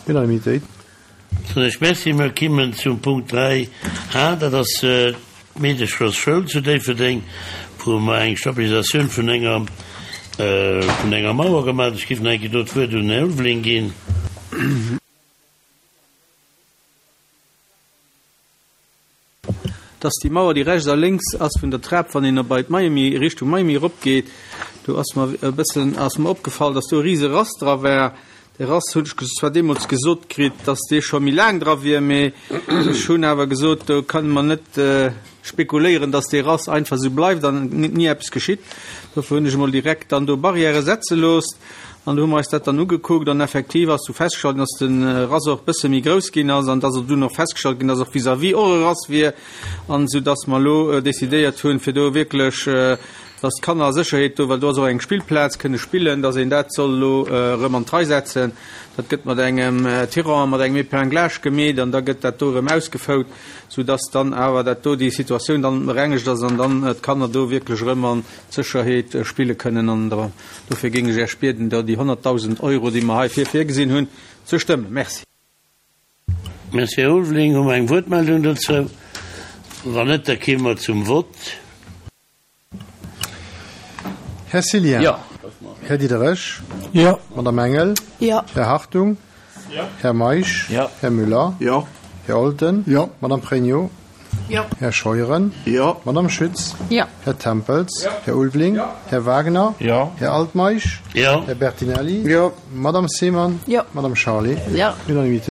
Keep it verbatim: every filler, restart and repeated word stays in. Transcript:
Unanimitéit. Soen ech Merci. Mer kimmen zum Punkt dräi A, dat ass d'Meedecherschoul zu Déifferdeng, wou mer eng Stabilisatioun vun enger, vun enger Mauer gemaach hunn. Ech géif nach eng Kéier do d'Wuert un den Här Ulveling ginn. Dass déi Mauer, déi rechts a lénks ass vun der Trap, wann een bei d'Miami, Richtung Miami eropgeet, do ass mer e bëssen, ass mer opgefall, dass do e rise Rass dra war. Dee Rass hunn ech zwar deemools gesot kritt, dass dee scho méi laang dra wier, mee ech hunn awer gesot, do kënne mer net spekuléieren, dass dee Rass einfach esou bleift an ni eppes geschitt. Dofir hunn ech emol direkt dann do Barrièrë setze loosst. An do hu mer eis dat dann ugekuckt an effektiv ass du festgestallt ginn, dass de Rass och e bësse méi grouss ginn ass an dass och dunn och festgestallt ginn, dass och vis-à-vis och e Rass wier an esou dass mer elo decidéiert hunn, fir do wierklech, dass d'Kanner a Sécherheet do, well do ass och eng Spillplaz, kënne spillen, dass een dat soll elo erëm an d'Rei setzen. Dat gëtt mat engem Tirant a mat engem Épinglage gemeet an da gëtt dat do erëm ausgefout, sou dass dann awer dat do, déi Situatioun dann berengegt ass an dann d'Kanner do wierklech erëm an Sécherheet spille kënnen. An dofir géing ech Iech bieden, do déi honnertdausend Euro, déi mer heifir virgesinn hunn, ze stëmmen. Merci. Merci, Här Ulveling. Hu mer eng Wuertmeldung dozou? Wann net, da kéime mer zum Vott. Här Cillien. Jo. Här Diderich. Jo. Madame Engel. Jo. Här Hartung. Jo. Här Meisch. Jo. Här Müller. Jo. Här Olten. Jo. Madame Pregno. Jo. Här Scheuren. Jo. Madame Schütz. Jo. Här Tempels. Jo. Här Ulveling. Jo. Här Wagner. Jo. Här Altmeisch. Jo. Här Bertinelli. Jo. Madame Seemann. Jo. Madame Charlé. Jo. Unanimité.